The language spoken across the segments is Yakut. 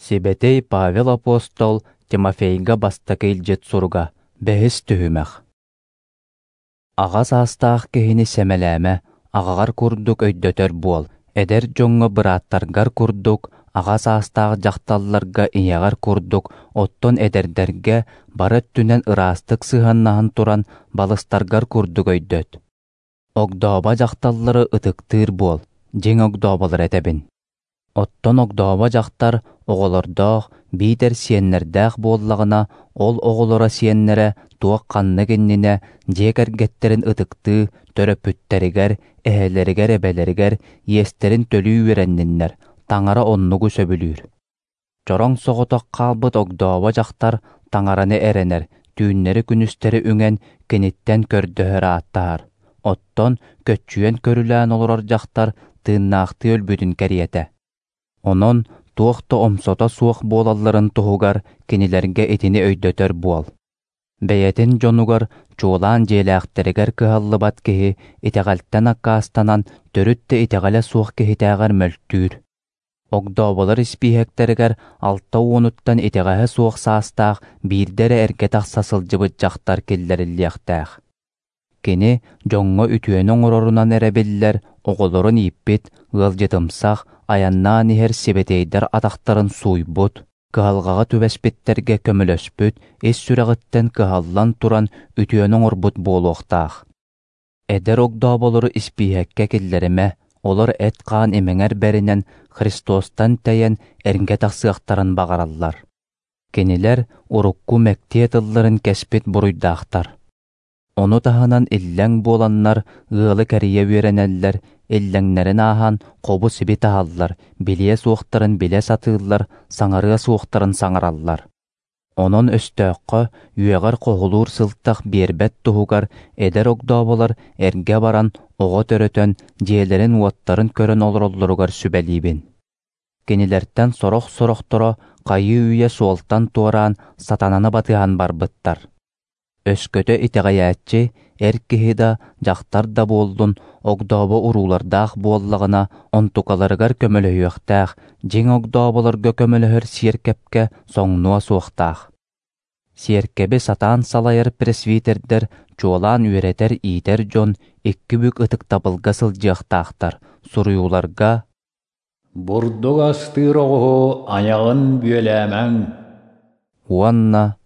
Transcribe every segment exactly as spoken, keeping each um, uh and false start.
Сибэтэй Павел апостол Тимофейга бастакы илдьит суруга, бэһис түһүмэх. Аҕа саастаах киһини сэмэлээмэ, аҕаҕар курдук өйдөтөр буол, эдэр дьоҥҥо бырааттаргар курдук, аҕа саастаах дьахталларга ийэҕэр курдук, оттон эдэрдэргэ бары өттүнэн ыраастык сыһыаннаһан туран балыстаргар курдук өйдөт. Огдообо дьахталлары ытыктыыр буол, дьиҥ огдооболор этэбин. Оттон огдообо дьахтар оҕолордоох, биитэр сиэннэрдээх буоллаҕына, ол оҕолоро сиэннэрэ туох ханнык иннинэ дьиэ кэргэттэрин ытыктыы, төрөппүттэригэр, эһэлэригэр-эбэлэригэр иэстэрин төлүү үөрэнниннэр, Таҥара оннугу сөбүлүүр. Чороҥ соҕотох хаалбыт огдообо дьахтар Таҥараны эрэнэр, түүннэри-күнүстэри үҥэн, киниттэн көрдөһөр ааттаһар. Оттон көччүйэн көрүлээн олорор дьахтар тыыннаахтыы өлбүтүн кэриэтэ. Онон туох да омсото суох буолалларын туһугар кинилэргэ итини өйдөтөр буол. Бэйэтин дьонугар, чуолаан дьиэлээхтэригэр кыһаллыбат киһи итэҕэлтэн аккаастанан төрүт да итэҕэлэ суох киһитээҕэр мөлтүүр. Огдооболор испииһэктэригэр алта уонуттан итэҕэһэ суох саастаах биирдэ эрэ эргэ тахса сылдьыбыт дьахтар киллэриллиэхтээх. Кини дьоҥҥо үтүөнү оҥорорунан эрэ биллэр, оҕолорун ииппит, ыалдьытымсах, айаннаан иһэр сибэтиэйдэр атахтарын сууйбут, кыһалҕаҕа түбэспиттэргэ көмөлөспүт, ис сүрэҕиттэн кыһаллан туран үтүөнү оҥорбут буолуохтаах. Эдэр огдооболору испииһэккэ киллэримэ, олор эт-хаан имэҥэр бэринэн Христостан тэйэн эргэ тахсыахтарын баҕараллар. Кинилэр урукку мэктиэ тылларын кэспит буруйдаахтар. Ону таһынан иллэҥ буоланнар ыалы кэрийэ үөрэнэллэр, иллэҥнэрин ааһан хобу-сиби таһаллар, билиэ суохтарын билэ сатыыллар, саҥарыа суохтарын саҥараллар. Онон өстөөххө үөҕэр хоһулуур сылтах биэрбэт туһугар эдэр огдооболор эргэ баран оҕо төрөтөн, дьиэлэрин-уоттарын көрөн олороллоругар сүбэлиибин. Кинилэртэн сорох-сорохторо хайыы-үйэ суолтан туораан сатананы батыһан барбыттар. Өскөтө итэҕэйээччи эр киһи да, дьахтар да буоллун, огдообо уруулардаах буоллаҕына, онтукаларыгар көмөлөһүөхтээх, дьиҥ огдооболорго көмөлөһөр сиэркэпкэ соҥнуо суохтаах. Сиэркэби сатаан салайар пресвитердэр, чуолаан үөрэтэр-иитэр дьон икки бүк ытыктабылга сылдьыахтаахтар, суруйууларга «Бурдук астыыр оҕуһу айаҕын бүөлээмэҥ» уонна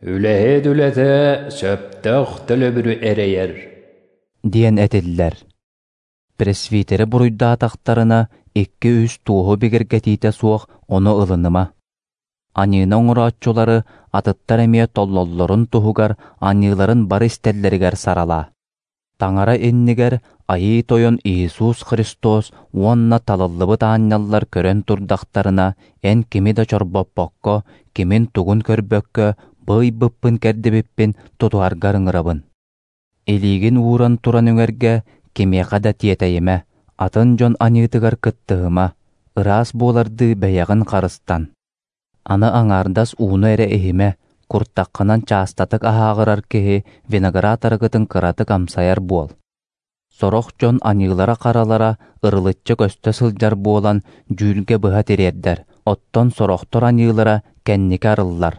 «Үлэһит үлэтэ сөптөөх төлөбүрү эрэйэр» диэн этиллэр. Пресвитери буруйдаатахтарына икки-үс туоһу бигэргэтиитэ суох ону ылыныма. Аньыыны оҥорооччулары атыттар эмиэ толлоллорун туһугар аньыыларын бары истэллэригэр саралаа. Таҥара иннигэр Айыы Тойон Иисус Христос уонна талыллыбыт аанньаллар көрөн турдахтарына, эн кими да чорбоппокко, кимин-тугун көрбөккө, бу ыйбыппын-кэрдибиппин тутуһаргар ыҥырабын. Илиигин ууран туран үҥэргэ кимиэхэ да тиэтэйимэ, атын дьон аньыытыгар кыттыһыма, ыраас буолардыы бэйэҕин харыстан. Аны аҥаардас ууну эрэ иһимэ, куртаххынан чаастатык аһааҕырар киһи виноград арыгытын кыратык амсайар буол. Сорох дьон аньыылара-харалара ырылыччы көстө сылдьар буолан дьүүлгэ быһа тириэрдэр, оттон сорохтор аньыылара кэнники арыллар.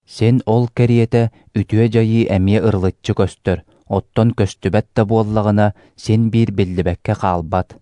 Син ол кэриэтэ үтүө дьайыы эмиэ ырылыччы көстөр, оттон көстүбэт да буоллаҕына син биир биллибэккэ хаалбат.